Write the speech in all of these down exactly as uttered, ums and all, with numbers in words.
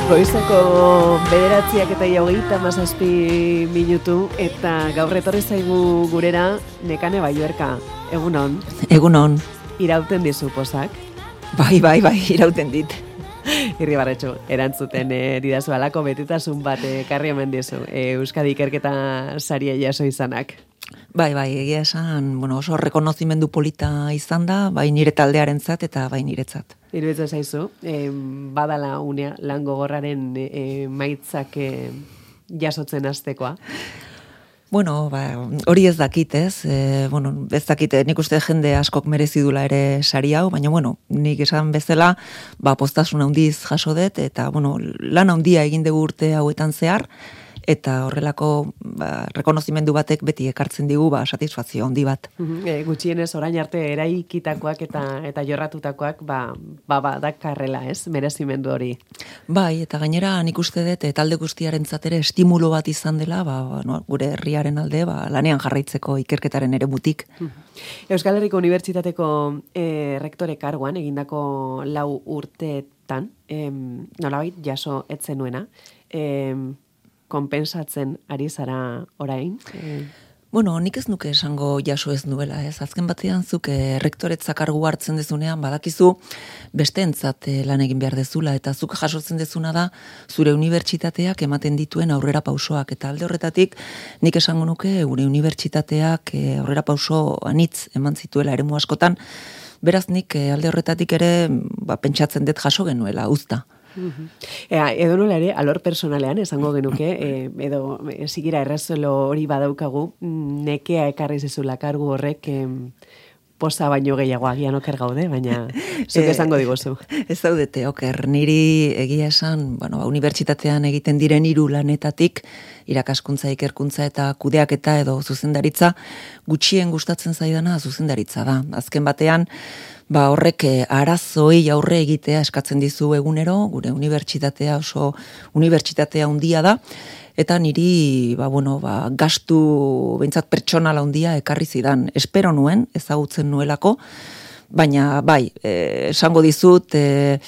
Goizeko bederatziak eta hogeita hamazazpi minutu eta gaur etorri zaigu gurera Nekane Balluerka. Egunon. Egunon. Irauten dizu posak? Bai, bai, bai, irauten dit. Irribarretxo, erantzuten e, didazu alako betetasun bat ekarri hemen dizu. E, Euskadi ikerketa saria jaso izanak. Bai, bai, egia esan, bueno, oso rekonozimendu polita izan da, bai nire taldearentzat eta bai niretzat. Iruditzen zaizu, e, badala unea lan gogorraren e, maitzak e, jasotzen hastekoa. Bueno, ba, hori ez dakit, ez? E, bueno, ez dakit, nik uste jende askok merezi dula ere sari hau, baina, bueno, nik esan bezala, ba, postasun handiz jaso dut, eta, bueno, lan handia egin dugu urte hauetan zehar, eta horrelako ba, rekonozimendu batek beti ekartzen digu ba, satisfazio handi bat. E, gutxienez orain arte eraikitakoak eta eta jorratutakoak ba, ba, ba dakarrela, ez? Merezimendu hori. Bai, eta gainera nik uste dut talde guztiarentzat ere estimulo bat izan dela, ba, ba, no, gure herriaren alde, ba, lanean jarraitzeko ikerketaren ere butik. Euskal Herriko Unibertsitateko e, rektore karguan egindako lau urteetan, em, nolabait jaso etzenuena, em, konpensatzen ari zara orain? E... Bueno, nik ez nuke esango jaso ez nuela, ez? Azken batean zuk e, rektoretza kargu hartzen dezunean, badakizu besteentzat e, lan egin behar dezula, eta zuk jasotzen dezuna da zure unibertsitateak ematen dituen aurrera pausoak, eta alde horretatik nik esango nuke gure unibertsitateak e, aurrera pauso anitz eman zituela eremu askotan, beraz nik e, alde horretatik ere ba, pentsatzen dut jaso genuela, uzta. Uh-huh. Ea, edo nola ere, alor personalean esango genuke, e, edo sigira errezuelo hori badaukagu, nekea ekarri zizula kargu horrek e, posa baino gehiago agian oker gaude, baina zuk esango diguzu. Ez daudete oker, niri egia esan, bueno, unibertsitatean egiten diren hiru lanetatik, irakaskuntza, ikerkuntza eta kudeaketa edo zuzendaritza, gutxien gustatzen zaidana zuzendaritza da. Azken batean, ba horrek arazoi aurre egitea eskatzen dizu egunero, gure unibertsitatea oso unibertsitatea handia da, eta niri ba, bueno, ba, gastu behintzat pertsonala handia ekarri zidan. Espero nuen, ezagutzen nuelako, baina bai, eh, esango dizut, eh,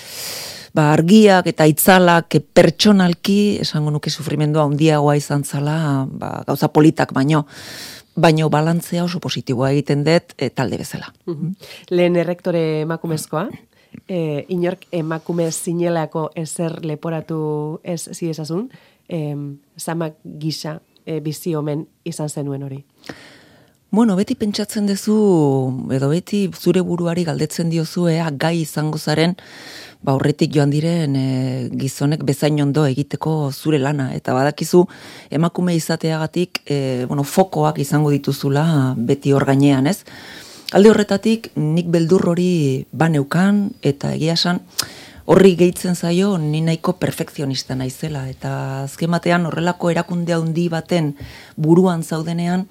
ba, argiak eta itzalak pertsonalki, esango nuke sufrimendua handiagoa izan zala, ba, gauza politak baino, baino balantzea oso positiboa egiten dut e, talde bezala. Uh-huh. Lehen errektore emakumezkoa, e, inork emakume zinelako ezer leporatu ez ziezazun, e, zamak gisa e, bizi omen izan zenuen hori. Bueno, beti pentsatzen duzu, edo beti zure buruari galdetzen diozu, ea gai izango zaren, ba horretik joan diren e, gizonek bezain ondo egiteko zure lana, eta badakizu emakume izateagatik e, bueno, fokoak izango dituzula beti hor gainean, ez? Alde horretatik nik beldur hori baneukan, eta egia esan horri gehitzen zaio ni nahiko perfekzionista naizela, eta azken batean horrelako erakunde handi baten buruan zaudenean,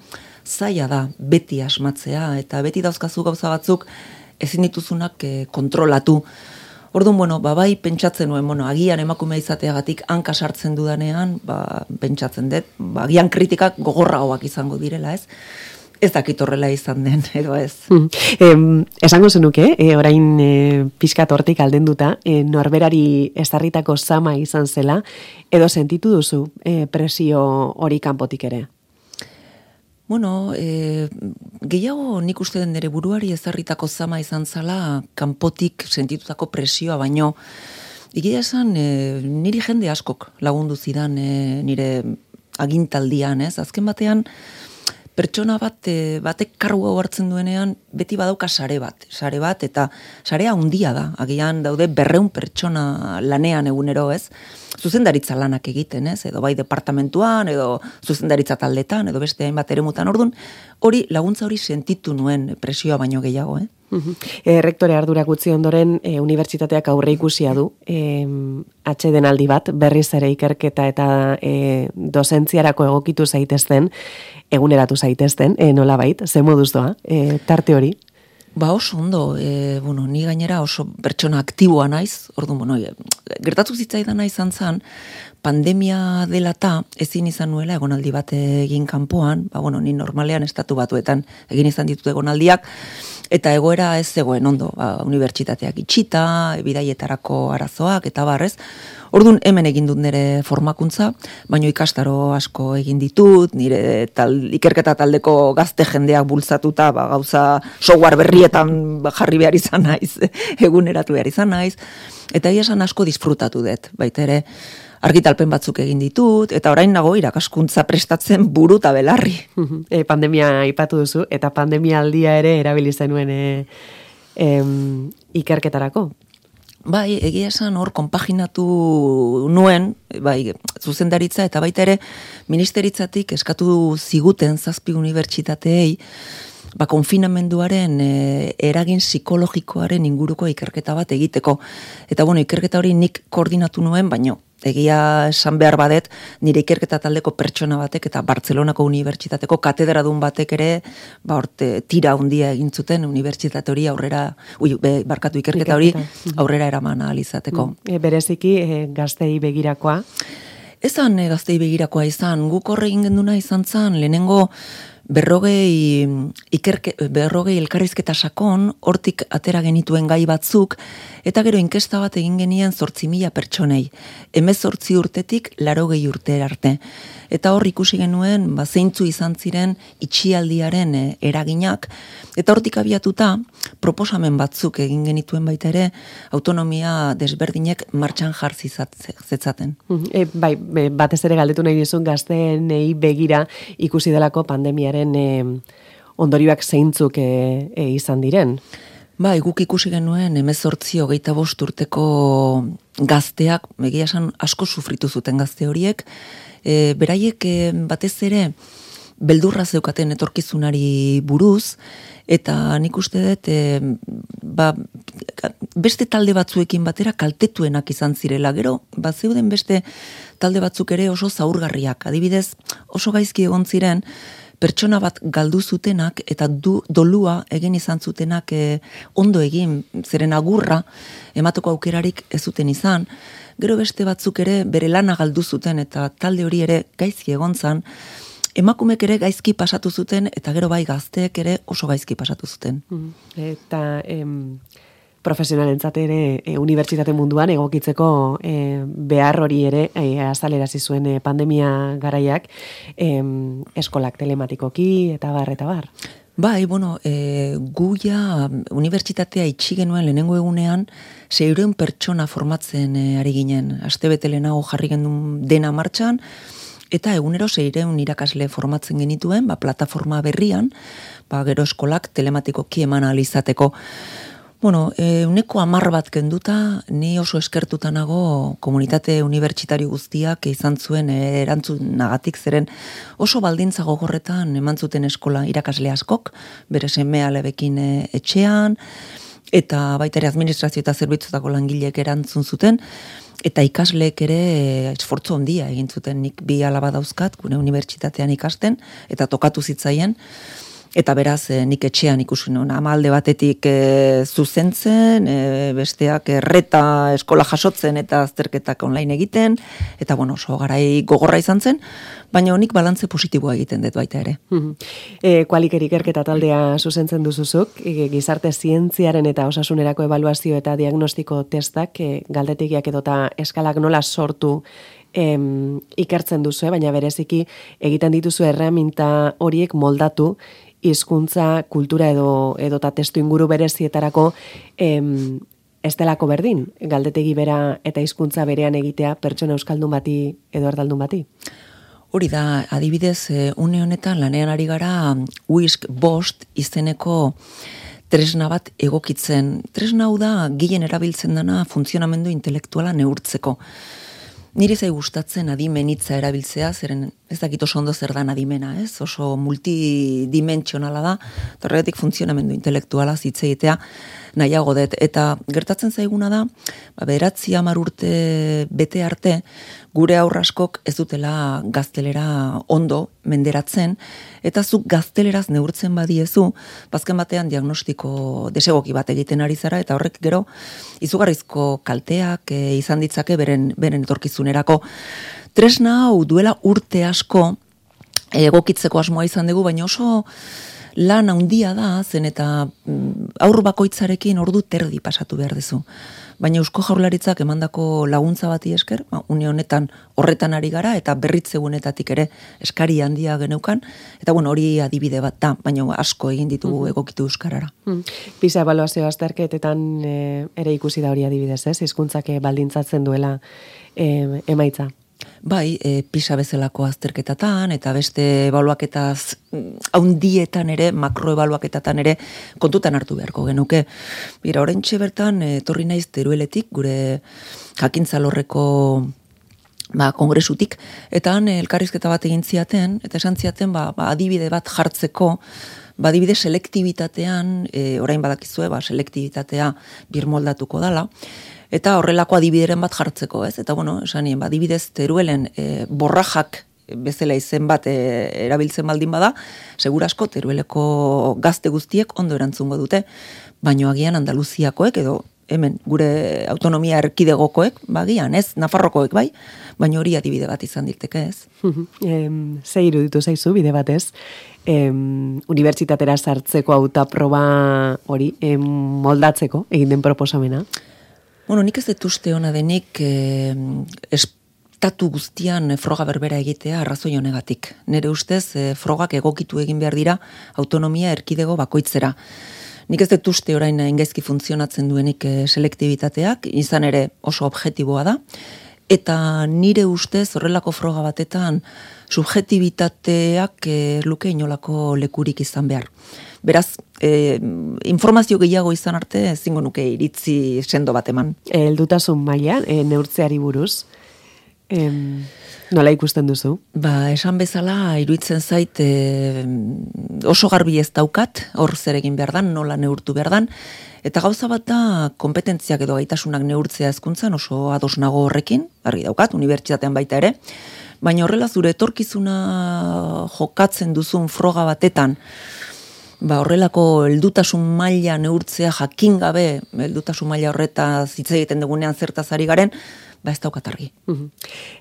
zaila da beti asmatzea, eta beti dauzkazu gauza batzuk ezin dituzunak e, kontrolatu. Orduan, bueno, ba, bai, pentsatzen nuen, bueno, agian emakume izateagatik hanka sartzen dudanean, ba, pentsatzen dut, ba, agian kritikak gogorragoak izango direla, ez? Ez dakit horrela izan den, edo ez. Hmm. Eh, esango zenuke, eh, orain eh, pixkat hortik aldenduta, eh, norberari ezarritako zama izan zela, edo sentitu duzu eh, presio hori kanpotik ere? Bueno, e, gehiago nik uste den nire buruari ezarritako zama izan zala kanpotik sentitutako presioa, baino egia esan e, niri jende askok lagundu zidan e, nire agintaldian, ez? Azken batean pertsona bat, e, batek kargu hartzen duenean beti badauka sare bat, sare bat eta sarea handia da, agian daude berreun pertsona lanean egunero, ez? Zuzendaritza lanak egiten, ez? Edo bai departamentuan, edo zuzendaritza taldetan, edo beste hainbat eremutan. Ordun, hori laguntza hori sentitu nuen presioa baino gehiago, eh? Uh-huh. E, rektore ardurak utzi ondoren, e, unibertsitateak aurre ikusia du, e, atsedenaldi bat, berriz ere ikerketa eta e, dozentziarako egokitu zaitezten, eguneratu zaitezten, e, nolabait, ze moduz doa, e, tarte hori? Ba oso ondo, e, bueno, ni gainera oso pertsona aktiboa naiz, orduan, bueno, gertatu zitzaidana izan zan, pandemia dela eta ezin izan nuela egonaldi bat egin kanpoan, ba bueno, ni normalean estatu batuetan egin izan ditut egonaldiak, eta egoera ez zegoen ondo, ba, unibertsitateak itxita, bidaietarako arazoak, eta barrez. Orduan hemen egin dut nire formakuntza, baino ikastaro asko egin ditut, nire tal, ikerketa taldeko gazte jendeak bultzatuta, ba, gauza software berrietan jarri behar izan naiz, eguneratu behar izan naiz, eta egia esan asko disfrutatu dut, baita ere, argitalpen batzuk egin ditut, eta orain nago irakaskuntza prestatzen buru eta belarri. E, pandemia aipatu duzu, eta pandemia aldia ere erabili zenuen e, em, ikerketarako. Bai, egia esan hor konpaginatu nuen, bai, zuzendaritza eta baita ere ministeritzatik eskatu ziguten zazpi unibertsitateei, ba, konfinamenduaren e, eragin psikologikoaren inguruko ikerketa bat egiteko. Eta bueno, ikerketa hori nik koordinatu nuen, baino egia esan behar badet, nire ikerketa taldeko pertsona batek eta Bartzelonako unibertsitateko katedradun batek ere, ba, orte, tira handia egin zuten unibertsitate hori aurrera, ui, be, barkatu ikerketa hori aurrera eraman ahal izateko. E, bereziki e, gaztei begirakoa? Ezan e, gaztei begirakoa izan, guk horre egin genduna izan zan, lehenengo berrogei, ikerke, berrogei elkarrizketa sakon, hortik atera genituen gai batzuk, eta gero inkesta bat egin genien zortzi mila pertsonei, hemezortzi urtetik larogei urte arte. Eta hor ikusi genuen, ba, zeintzu izan ziren itxialdiaren e, eraginak, eta hortik abiatuta, proposamen batzuk egin genituen baita ere, autonomia desberdinek martxan jarzi zetzaten. E, bai, batez ere galdetu nahi dizun gazteenei begira ikusi delako pandemiaren e, ondorioak zeintzuk e, e, izan diren. Bai, guk ikusi genuen hemezortzi hogeita bost urteko gazteak, egia esan asko sufritu zuten gazte horiek, e, beraiek e, batez ere beldurra zeukaten etorkizunari buruz, eta nik uste dut, e, ba, beste talde batzuekin batera kaltetuenak izan zirela, gero, ba, zeuden beste talde batzuk ere oso zaurgarriak, adibidez, oso gaizki egon ziren, pertsona bat galdu zutenak eta du, dolua egin izan zutenak e, ondo egin, zeren agurra emateko aukerarik ez zuten izan. Gero beste batzuk ere bere lana galdu zuten eta talde hori ere gaizki egon zan, emakumek ere gaizki pasatu zuten eta gero bai gazteek ere oso gaizki pasatu zuten. Eta em, profesionalentzat ere e, unibertsitate munduan egokitzeko e, behar hori ere e, azalerazi zuen e, pandemia garaiak em, eskolak telematikoki eta bar, eta bar. Bai, bueno, e, guia unibertsitatea itxi genuen lehenengo egunean seiehun pertsona formatzen e, ari ginen. Astebete lehenago jarri genuen dena martxan, eta egunero seiehun irakasle formatzen genituen, ba, plataforma berrian, ba, gero eskolak telematikoki eman ahal izateko. Bueno, e, uneko hamar bat kenduta, ni oso eskertuta nago komunitate unibertsitario guztiak izan zuen e, erantzunagatik, zeren oso baldintza gogorretan eman zuten eskola irakasle askok, bere seme alebekin e, etxean, eta baita ere administrazio eta zerbitzutako langileek erantzun zuten, eta ikasleek ere esfortzu handia egin zuten, nik bi alaba dauzkat, gure unibertsitatean ikasten, eta tokatu zitzaien, eta beraz nik etxean ikusi nuen, ama alde batetik e, zuzentzen, e, besteak erreta eskola jasotzen eta azterketak online egiten, eta bueno, oso garai gogorra izan zen, baina nik balantze positiboa egiten dut baita ere. E, Kualiker ikerketa taldea zuzentzen duzuzuk, e, gizarte zientziaren eta osasunerako ebaluazio eta diagnostiko testak, e, galdetegiak edota eskalak nola sortu em, ikertzen duzu, baina bereziki egiten dituzu erreminta horiek moldatu, hizkuntza, kultura edo edota testu inguru berezietarako em, ez delako berdin, galdetegi bera eta hizkuntza berean egitea pertsona euskaldun bati edo erdaldun bati. Hori da, adibidez, une honetan lanean ari gara Whisk bost izeneko tresna bat egokitzen. Tresna hau da gehien erabiltzen dana funtzionamendu intelektuala neurtzeko. Niri zai gustatzen adimenitza erabiltzea, zeren ez dakit oso ondo zer dan adimena, ez? Oso multidimentsionala da, horregatik funtzionamendu intelektuala hitz egitea nahiago dut. Eta gertatzen zaiguna da, ba, bederatzi hamar urte bete arte, gure aurraskok ez dutela gaztelera ondo menderatzen, eta zuk gazteleraz neurtzen badiezu, bazken batean diagnostiko desegoki bat egiten ari zara, eta horrek gero izugarrizko kalteak e, izan ditzake beren, beren etorkizunerako. Tresna hau duela urte asko egokitzeko asmoa izan dugu, baina oso lan handia da, zen eta aur bakoitzarekin ordu terdi pasatu behar duzu. Baina Eusko Jaurlaritzak emandako laguntza bati esker, ba, une honetan horretan ari gara, eta berritzegunetatik ere eskari handia geneukan, eta bueno, hori adibide bat da, baina asko egin ditugu mm-hmm. egokitu euskarara. Mm. PISA ebaluazio azterketetan e, ere ikusi da hori adibidez, ez? Hizkuntzak baldintzatzen duela e, emaitza. Bai, e, PISA bezalako azterketatan, eta beste ebaluaketaz haundietan ere, makroebaluaketatan ere, kontutan hartu beharko genuke. Bira, oraintxe bertan, etorri naiz Terueletik, gure jakintzalorreko ba, kongresutik, eta han elkarrizketa bat egin ziaten, eta esan ziaten, ba, ba, adibide bat jartzeko, ba, adibide selektibitatean, e, orain badakizue, ba, selektibitatea birmoldatuko dala, eta horrelako adibideren bat jartzeko, ez? Eta bueno, esanien, ba, adibidez Teruelen e, borrajak bezala izen bat e, erabiltzen baldin bada, segurasko Terueleko gazte guztiek ondo erantzungo dute, baino agian Andaluziakoek edo hemen gure autonomia erkidegokoek, bagian, ez? Nafarrokoek bai, baino hori adibide bat izan dirteke, ez? em, ze iruditu zaizu bide batez, em, unibertsitatera sartzeko hautaproba hori em, moldatzeko egin den proposamena? Bueno, nik ez dut uste ona denik eh, estatu guztian froga berbera egitea arrazoi honegatik. Nere ustez, eh, frogak egokitu egin behar dira autonomia erkidego bakoitzera. Nik ez dut uste orain ingaizki funtzionatzen duenik eh, selektibitateak, izan ere oso objektiboa da, eta nire ustez horrelako froga batetan subjektibitateak eh, luke inolako lekurik izan behar. Beraz, eh, informazio gehiago izan arte ezingo nuke iritzi sendo bat eman. Heldutasun maila, e, neurtzeari buruz, em, nola ikusten duzu? Ba, esan bezala, iruditzen zait e, oso garbi ez daukat, hor zer egin behar dan, nola neurtu behar dan, eta gauza bat da, kompetentziak edo gaitasunak neurtzea hezkuntzan oso ados nago horrekin, argi daukat, unibertsitatean baita ere, baina horrela zure etorkizuna jokatzen duzun froga batetan, ba, horrelako heldutasun maila neurtzea jakin gabe, heldutasun maila horretaz hitz egiten dugunean zertaz ari garen, ba ez daukat argi. Uh-huh.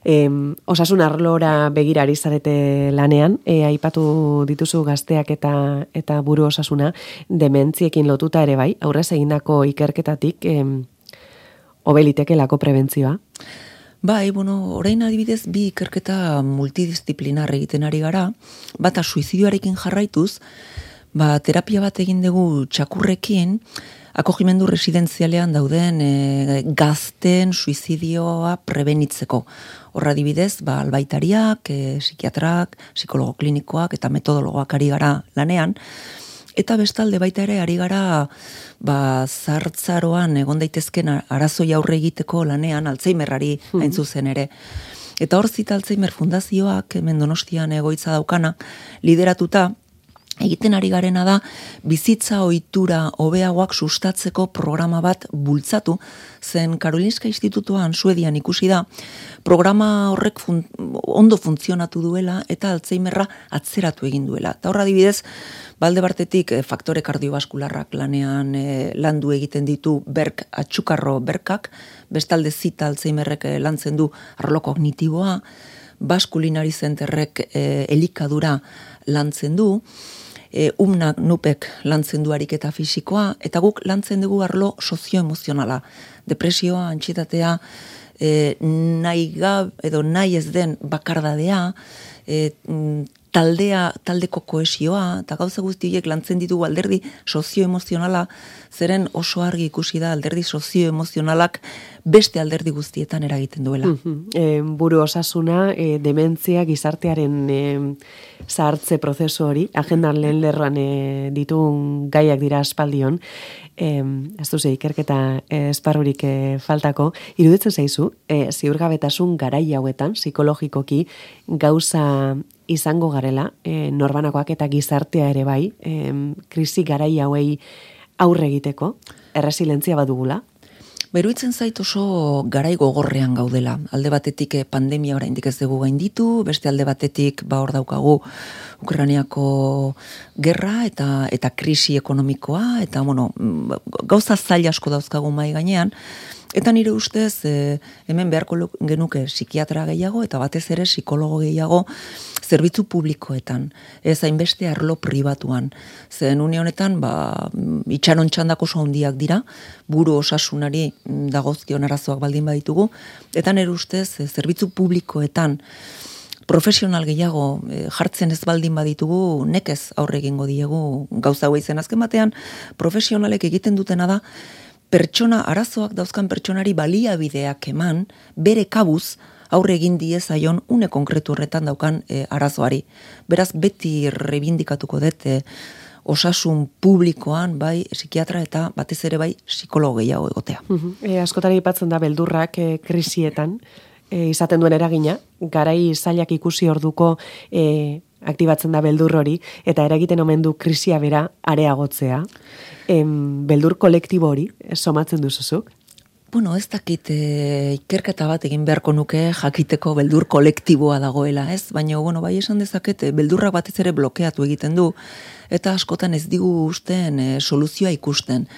em, osasun arlora begira ari zarete lanean, e, aipatu dituzu gazteak eta eta buru osasuna, dementziekin lotuta ere bai, aurrez egindako ikerketatik em, hobelitekelako prebentzioa? Bai, bueno, orain adibidez bi ikerketa multidisziplinar egiten ari gara, bata suizidioarekin jarraituz, ba, terapia bat egin dugu txakurrekin, akogimendu residenzialean dauden e, gazten suizidioa prebenitzeko. Horra adibidez, ba, albaitariak, e, psikiatrak, psikologo klinikoak eta metodologoak ari gara lanean, eta bestalde baita ere ari gara ba, zartzaroan egon daitezken arazoi aurre egiteko lanean Alzheimerrari hain zuzen ere. Eta hor Zita Alzheimer Fundazioak, hemen Donostian egoitza daukana, lideratuta, egiten ari garena da, bizitza ohitura hobeagoak sustatzeko programa bat bultzatu, zen Karolinska Institutuan Suedian ikusi da, programa horrek fun, ondo funtzionatu duela eta Alzheimerra atzeratu egin duela. Eta horra adibidez, balde bartetik faktore kardiobaskularrak lanean e, landu egiten ditu berk atxukarro berkak, bestalde Zita Alzheimerrek e, lantzen du arlo kognitiboa, Baskulinari Zenterrek e, elikadura lantzen du, E, umnak nupek lantzen du ariketa fisikoa, eta guk lantzen dugu arlo sozioemozionala. Depresioa, antsietatea, e, nahi gab, edo nahi ez den bakardadea, e, taldea, taldeko kohesioa, eta gauza guzti horiek lantzen ditugu alderdi sozioemozionala, zeren oso argi ikusi da alderdi sozioemozionalak beste alderdi guztietan eragiten duela. Uh-huh. E, buru osasuna, e, dementzia, gizartearen e, zahartze prozesu hori, agendan lehen lerroan e, ditun gaiak dira aspaldion, e, ez duze ikerketa e, esparrurik e, faltako, iruditzen zaizu, e, ziurgabetasun garai hauetan, psikologikoki, gauza izango garela, e, norbanakoak eta gizartea ere bai, e, krisi garai hauei aurre egiteko, erresilientzia badugula? Beruitzen zait oso garai gogorrean gaudela. Alde batetik pandemia oraindik ez dugu gainditu, beste alde batetik ba hor daukagu Ukrainiako gerra eta eta krisi ekonomikoa, eta bueno, gauza zail asko dauzkagu mai gainean, Eta nire ustez, e, hemen beharko genuke psikiatra gehiago eta batez ere psikologo gehiago zerbitzu publikoetan, ez hainbeste arlo pribatuan. Zen une honetan, ba, itxaron txandak oso handiak dira, buru osasunari dagozkion arazoak baldin baditugu, eta nire ustez, zerbitzu publikoetan profesional gehiago e, jartzen ez baldin baditugu, nekez aurre egingo diegu gauza hau izen. Azken batean, profesionalek egiten dutena da, pertsona, arazoak dauzkan pertsonari baliabideak eman, bere kabuz, aurre egin diezaion une konkretu horretan daukan e, arazoari. Beraz, beti rebindikatuko dut e, osasun publikoan, bai, psikiatra eta batez ere bai, psikologo gehiago egotea. Uh-huh. E, askotan aipatzen da beldurrak e, krisietan, e, izaten duen eragina, garai zailak ikusi orduko e, aktibatzen da beldur hori, eta eragiten omen du krisia bera areagotzea. Em, beldur kolektibo hori, somatzen duzuzuk? Bueno, ez dakit e, ikerketa bat egin beharko nuke jakiteko beldur kolektiboa dagoela, ez? Baina, bueno, bai esan dezaket, beldurrak batez ere blokeatu egiten du, eta askotan ez digu usten e, soluzioa ikusten.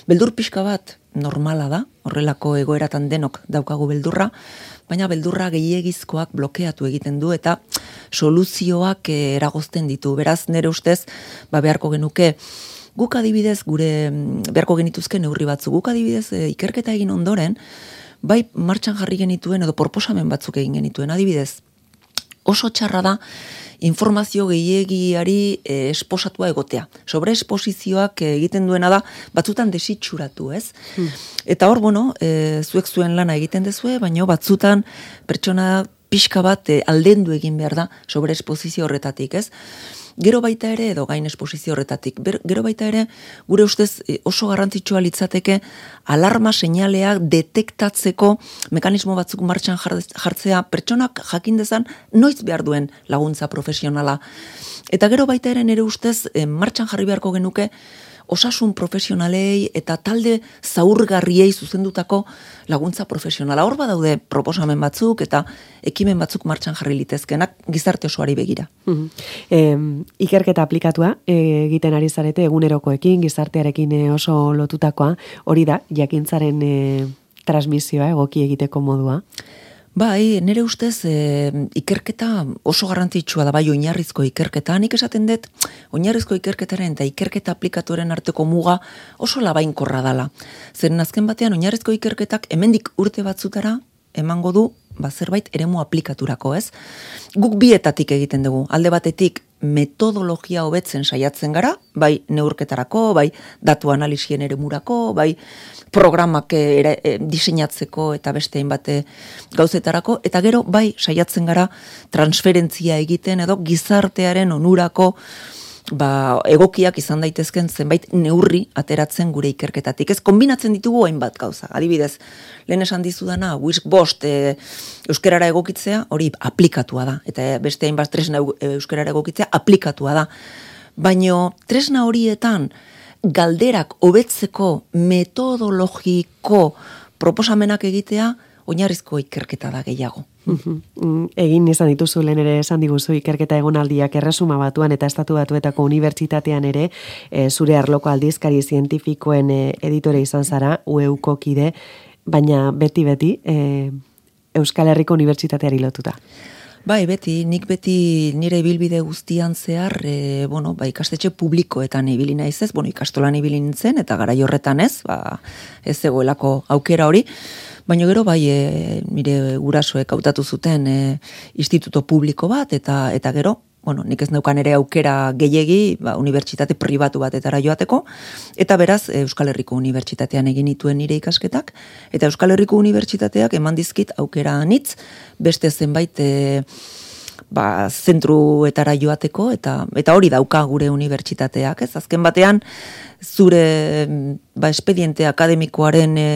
Beldur pixka bat normala da, horrelako egoeratan denok daukagu beldurra, baina beldurra gehiegizkoak blokeatu egiten du, eta soluzioak e, eragozten ditu. Beraz, nire ustez, ba, beharko genuke, guk adibidez, gure beharko genituzke neurri batzu, guk adibidez e, ikerketa egin ondoren, bai martxan jarri genituen edo proposamen batzuk egin genituen, adibidez, oso txarra da informazio gehiegiari e, esposatua egotea. Sobre esposizioak egiten duena da, batzutan desitxuratu, ez? Hmm. Eta hor, bueno, e, zuek zuen lana egiten dezue, baina batzutan pertsona pixka bat e, aldendu egin behar da sobre esposizio horretatik, ez? Gero baita ere, edo gain esposizio horretatik, ber, gero baita ere, gure ustez oso garrantzitsua litzateke alarma seinaleak detektatzeko mekanismo batzuk martxan jartzea, pertsonak jakin dezan noiz behar duen laguntza profesionala. Eta gero baita ere nire ustez martxan jarri beharko genuke osasun profesionalei eta talde zaurgarriei zuzendutako laguntza profesionala. Hor badaude proposamen batzuk eta ekimen batzuk martxan jarri litezkenak gizarte osoari begira. Uh-huh. E, ikerketa aplikatua e, egiten ari zarete egunerokoekin, gizartearekin e, oso lotutakoa, hori da, jakintzaren e, transmisioa egoki egiteko modua? Bai, nire ustez e, ikerketa oso garrantzitsua da, bai oinarrizko ikerketa. Nik esaten dut, oinarrizko ikerketaren eta ikerketa aplikatuaren arteko muga oso labainkorra dala. Zeren azken batean, oinarrizko ikerketak hemendik urte batzutara emango du, ba, zerbait eremu aplikaturako, ez? Guk bietatik egiten dugu, alde batetik metodologia hobetzen saiatzen gara, bai neurketarako, bai datu analisien eremurako, bai programak ere, e, diseinatzeko eta beste hainbat gauzetarako, eta gero bai saiatzen gara transferentzia egiten edo gizartearen onurako ba, egokiak izan daitezken zenbait neurri ateratzen gure ikerketatik. Ez kombinatzen ditugu hainbat gauza. Adibidez, lehen esan dizudana, Wisk bost e, euskerara egokitzea, hori aplikatua da. Eta beste hainbat tresna euskerara egokitzea aplikatua da. Baina tresna horietan galderak hobetzeko metodologiko proposamenak egitea oinarrizko ikerketa da gehiago. Egin izan dituzu lehen ere esan diguzu ikerketa egonaldiak erresuma batuan eta estatu batuetako unibertsitatean ere e, zure arloko aldizkari zientifikoen e, editore izan zara, U E Uko kide, baina beti-beti e, Euskal Herriko Unibertsitateari lotuta. Bai, beti, nik beti nire ibilbide guztian zehar, e, bueno, ba, ikastetxe publikoetan ibili naiz ez, bueno, ikastolan ibili nintzen, eta garai horretan ez, ba, ez zegoelako aukera hori, baina gero bai, e, nire gurasoek hautatu zuten e, instituto publiko bat, eta eta gero, bueno, nik ez neukan ere aukera gehiegi, ba, unibertsitate pribatu batetara joateko, eta beraz, Euskal Herriko Unibertsitatean egin nituen nire ikasketak, eta Euskal Herriko Unibertsitateak eman dizkit aukera anitz, beste zenbait e, ba, zentruetara joateko, eta eta hori dauka gure unibertsitateak, ez? Azken batean, zure ba, espediente akademikoaren e,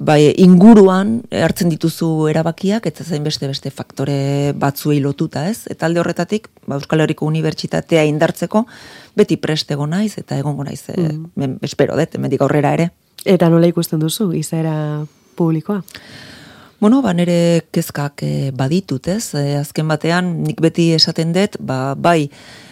bai, inguruan hartzen dituzu erabakiak, eta zain beste beste faktore batzuei lotuta, ez? Eta alde horretatik, ba, Euskal Herriko Unibertsitatea indartzeko, beti prest egon naiz, eta egongo naiz, mm. e, espero dut, hemendik aurrera ere. Eta nola ikusten duzu, izaera publikoa? Bueno, ba, nire kezkak e, baditut, ez? E, azken batean, nik beti esaten dut, ba, bai,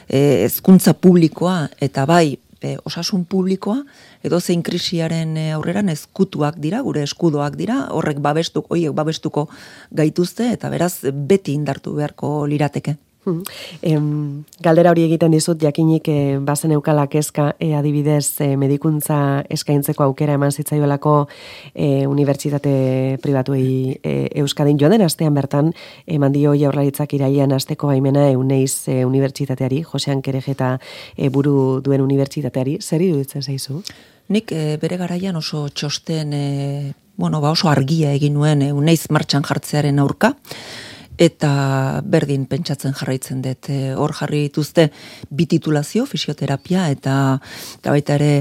hezkuntza publikoa, eta bai, e, osasun publikoa, edo zein krisiaren aurreran ezkutuak dira, gure eskudoak dira, horrek babestuko, hoiek babestuko gaituzte, eta beraz beti indartu beharko lirateke. Em, galdera hori egiten dizut, jakinik e, bazen eukala kezka e, adibidez e, medikuntza eskaintzeko aukera eman zitzaiolako e, unibertsitate pribatuei e, Euskadin. Joan den astean bertan, eman dio Jaurlaritzak irailean asteko baimena Euneiz e, unibertsitateari, Josean Kerejeta e, buru duen unibertsitateari, zer iruditzen zaizu? Nik e, bere garaian oso txosten, e, bueno, ba oso argia egin nuen Euneiz martxan jartzearen aurka, eta berdin pentsatzen jarraitzen dut. E, hor jarri dituzte bi titulazio, fisioterapia, eta, eta baita ere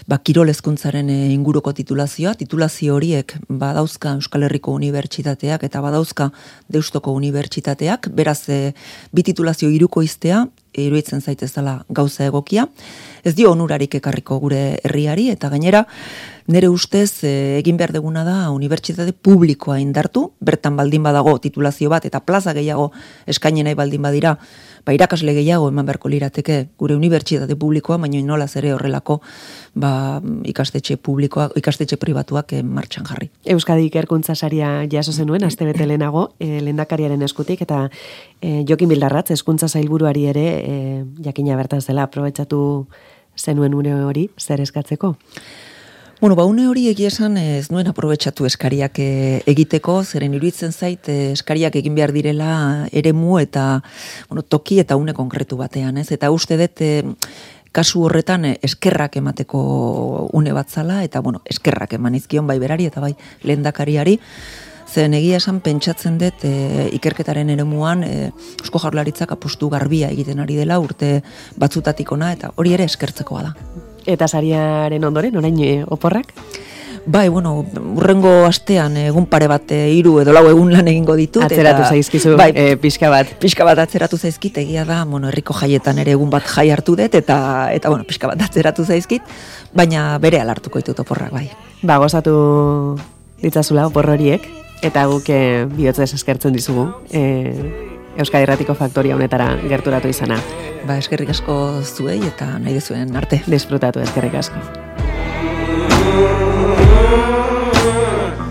ba, kirol hezkuntzaren inguruko titulazioa. Titulazio horiek badauzka Euskal Herriko Unibertsitateak eta badauzka Deustoko Unibertsitateak, beraz e, bi titulazio hiruko iztea, iruditzen zaitez dela gauza egokia. Ez dio onurarik ekarriko gure herriari, eta gainera, nere ustez e, egin behar deguna da unibertsitate publikoa indartu, bertan baldin badago titulazio bat, eta plaza gehiago eskaini nahi baldin badira, ba, irakasle gehiago eman beharko lirateke gure unibertsitate publikoa, baina inolaz ere horrelako ba, ikastetxe publikoak, ikastetxe pribatuak e, martxan jarri. Euskadi Ikerkuntza saria jaso zenuen, astebete lehenago, e, lehendakariaren eskutik, eta e, Jokin Bildarratz, hezkuntza sailburuari ere, e, jakina bertan zela, aprobetxatu zenuen une hori, zer eskatzeko? Bueno, ba, une hori egia esan ez nuen aprobetxatu eskariak egiteko, zeren iruditzen zait eskariak egin behar direla eremu eta bueno, toki eta une konkretu batean, ez? Eta uste dut kasu horretan eskerrak emateko une bat zala, eta bueno, eskerrak eman izkion bai berari eta bai lehendakariari, zen egia esan pentsatzen dut e, ikerketaren eremuan e, Eusko Jaurlaritzak apustu garbia egiten ari dela urte batzutatik ona, eta hori ere eskertzekoa da. Eta sariaren ondoren, orain e, oporrak? Bai, bueno, urrengo astean egun pare bat hiru edo lau egun lan egingo ditut. Atzeratu eta, zaizkizu, bai, e, pixka bat. Pixka bat atzeratu zaizkit, egia da, bueno, herriko jaietan ere egun bat jai hartu dut, eta, eta bueno, pixka bat atzeratu zaizkit, baina bere alartuko ditut oporrak, bai. Ba, gozatu ditzazula opor horiek, eta guk e, bihotzez eskertzen dizugu. E, Euskadi Irratiko Faktoria honetara gerturatu izana. Ba, eskerrik asko zuei eta nahi dezuen arte. Disfrutatu, eskerrik asko.